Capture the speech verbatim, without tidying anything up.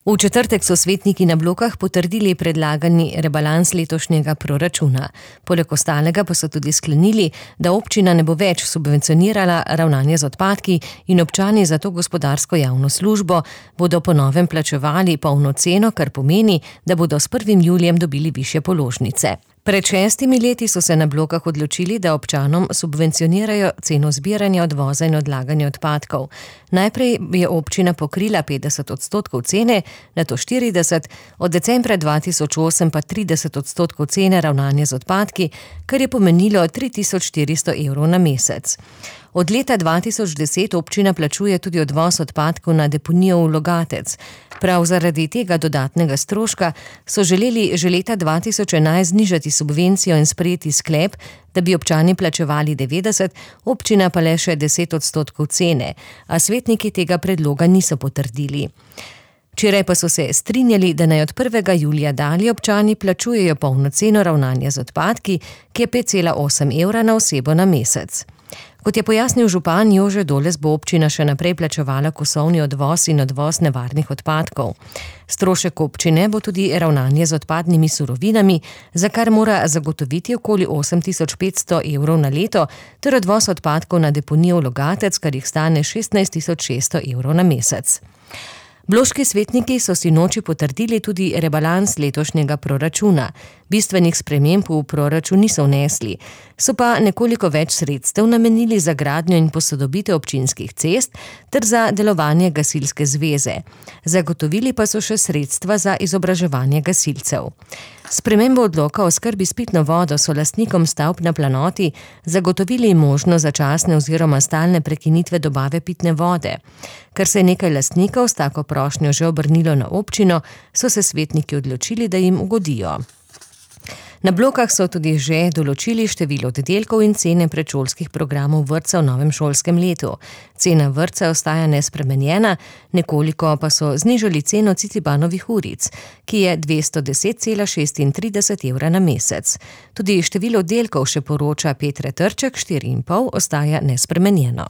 V četrtek so svetniki na Blokah potrdili predlagani rebalans letošnjega proračuna. Poleg ostalega pa so tudi sklenili, da občina ne bo več subvencionirala ravnanja z odpadki in občani za to gospodarsko javno službo bodo po novem plačevali polno ceno, kar pomeni, da bodo s prvim julijem dobili višje položnice. Pred šestimi leti so se na Blokah odločili, da občanom subvencionirajo ceno zbiranja, odvoza in odlaganja odpadkov. Najprej je občina pokrila petdeset odstotkov cene, nato štirideset, od decembra dva tisoč osem pa trideset odstotkov cene ravnanja z odpadki, kar je pomenilo tri tisoč štiristo evrov na mesec. Od leta dva tisoč deset občina plačuje tudi odvoz odpadkov na deponijo v Logatec. Prav zaradi tega dodatnega stroška so želeli že leta dva tisoč enajst znižati subvencijo in sprejeti sklep, da bi občani plačevali devetdeset, občina pa le še deset odstotkov cene, a svetniki tega predloga niso potrdili. Včeraj pa so se strinjali, da naj od prvega julija dalje občani plačujejo polno ceno ravnanja z odpadki, ki je pet cela osem evra na osebo na mesec. Kot je pojasnil župan Jože Doles, bo občina še naprej plačevala kosovni odvoz in odvoz nevarnih odpadkov. Strošek občine bo tudi ravnanje z odpadnimi surovinami, za kar mora zagotoviti okoli osem tisoč petsto evrov na leto, ter odvoz odpadkov na deponijo v Logatec, kar jih stane šestnajst tisoč šeststo evrov na mesec. Bloški svetniki so sinoči potrdili tudi rebalans letošnjega proračuna. Bistvenih sprememb v proračun niso vnesli, so pa nekoliko več sredstev namenili za gradnjo in posodobitev občinskih cest ter za delovanje gasilske zveze. Zagotovili pa so še sredstva za izobraževanje gasilcev. Spremembo odloka o skrbi s pitno vodo so lastnikom stavb na planoti zagotovili možnost začasne oziroma stalne prekinitve dobave pitne vode. Ker se je nekaj lastnikov s tako prošnjo že obrnilo na občino, so se svetniki odločili, da jim ugodijo. Na Blokah so tudi že določili število oddelkov in cene predšolskih programov vrtca v novem šolskem letu. Cena vrtca ostaja nespremenjena, nekoliko pa so znižali ceno Cicibanovih uric, ki je dvesto deset cela šestintrideset evra na mesec. Tudi število oddelkov, še poroča Petre Trček, štiri in pol, ostaja nespremenjeno.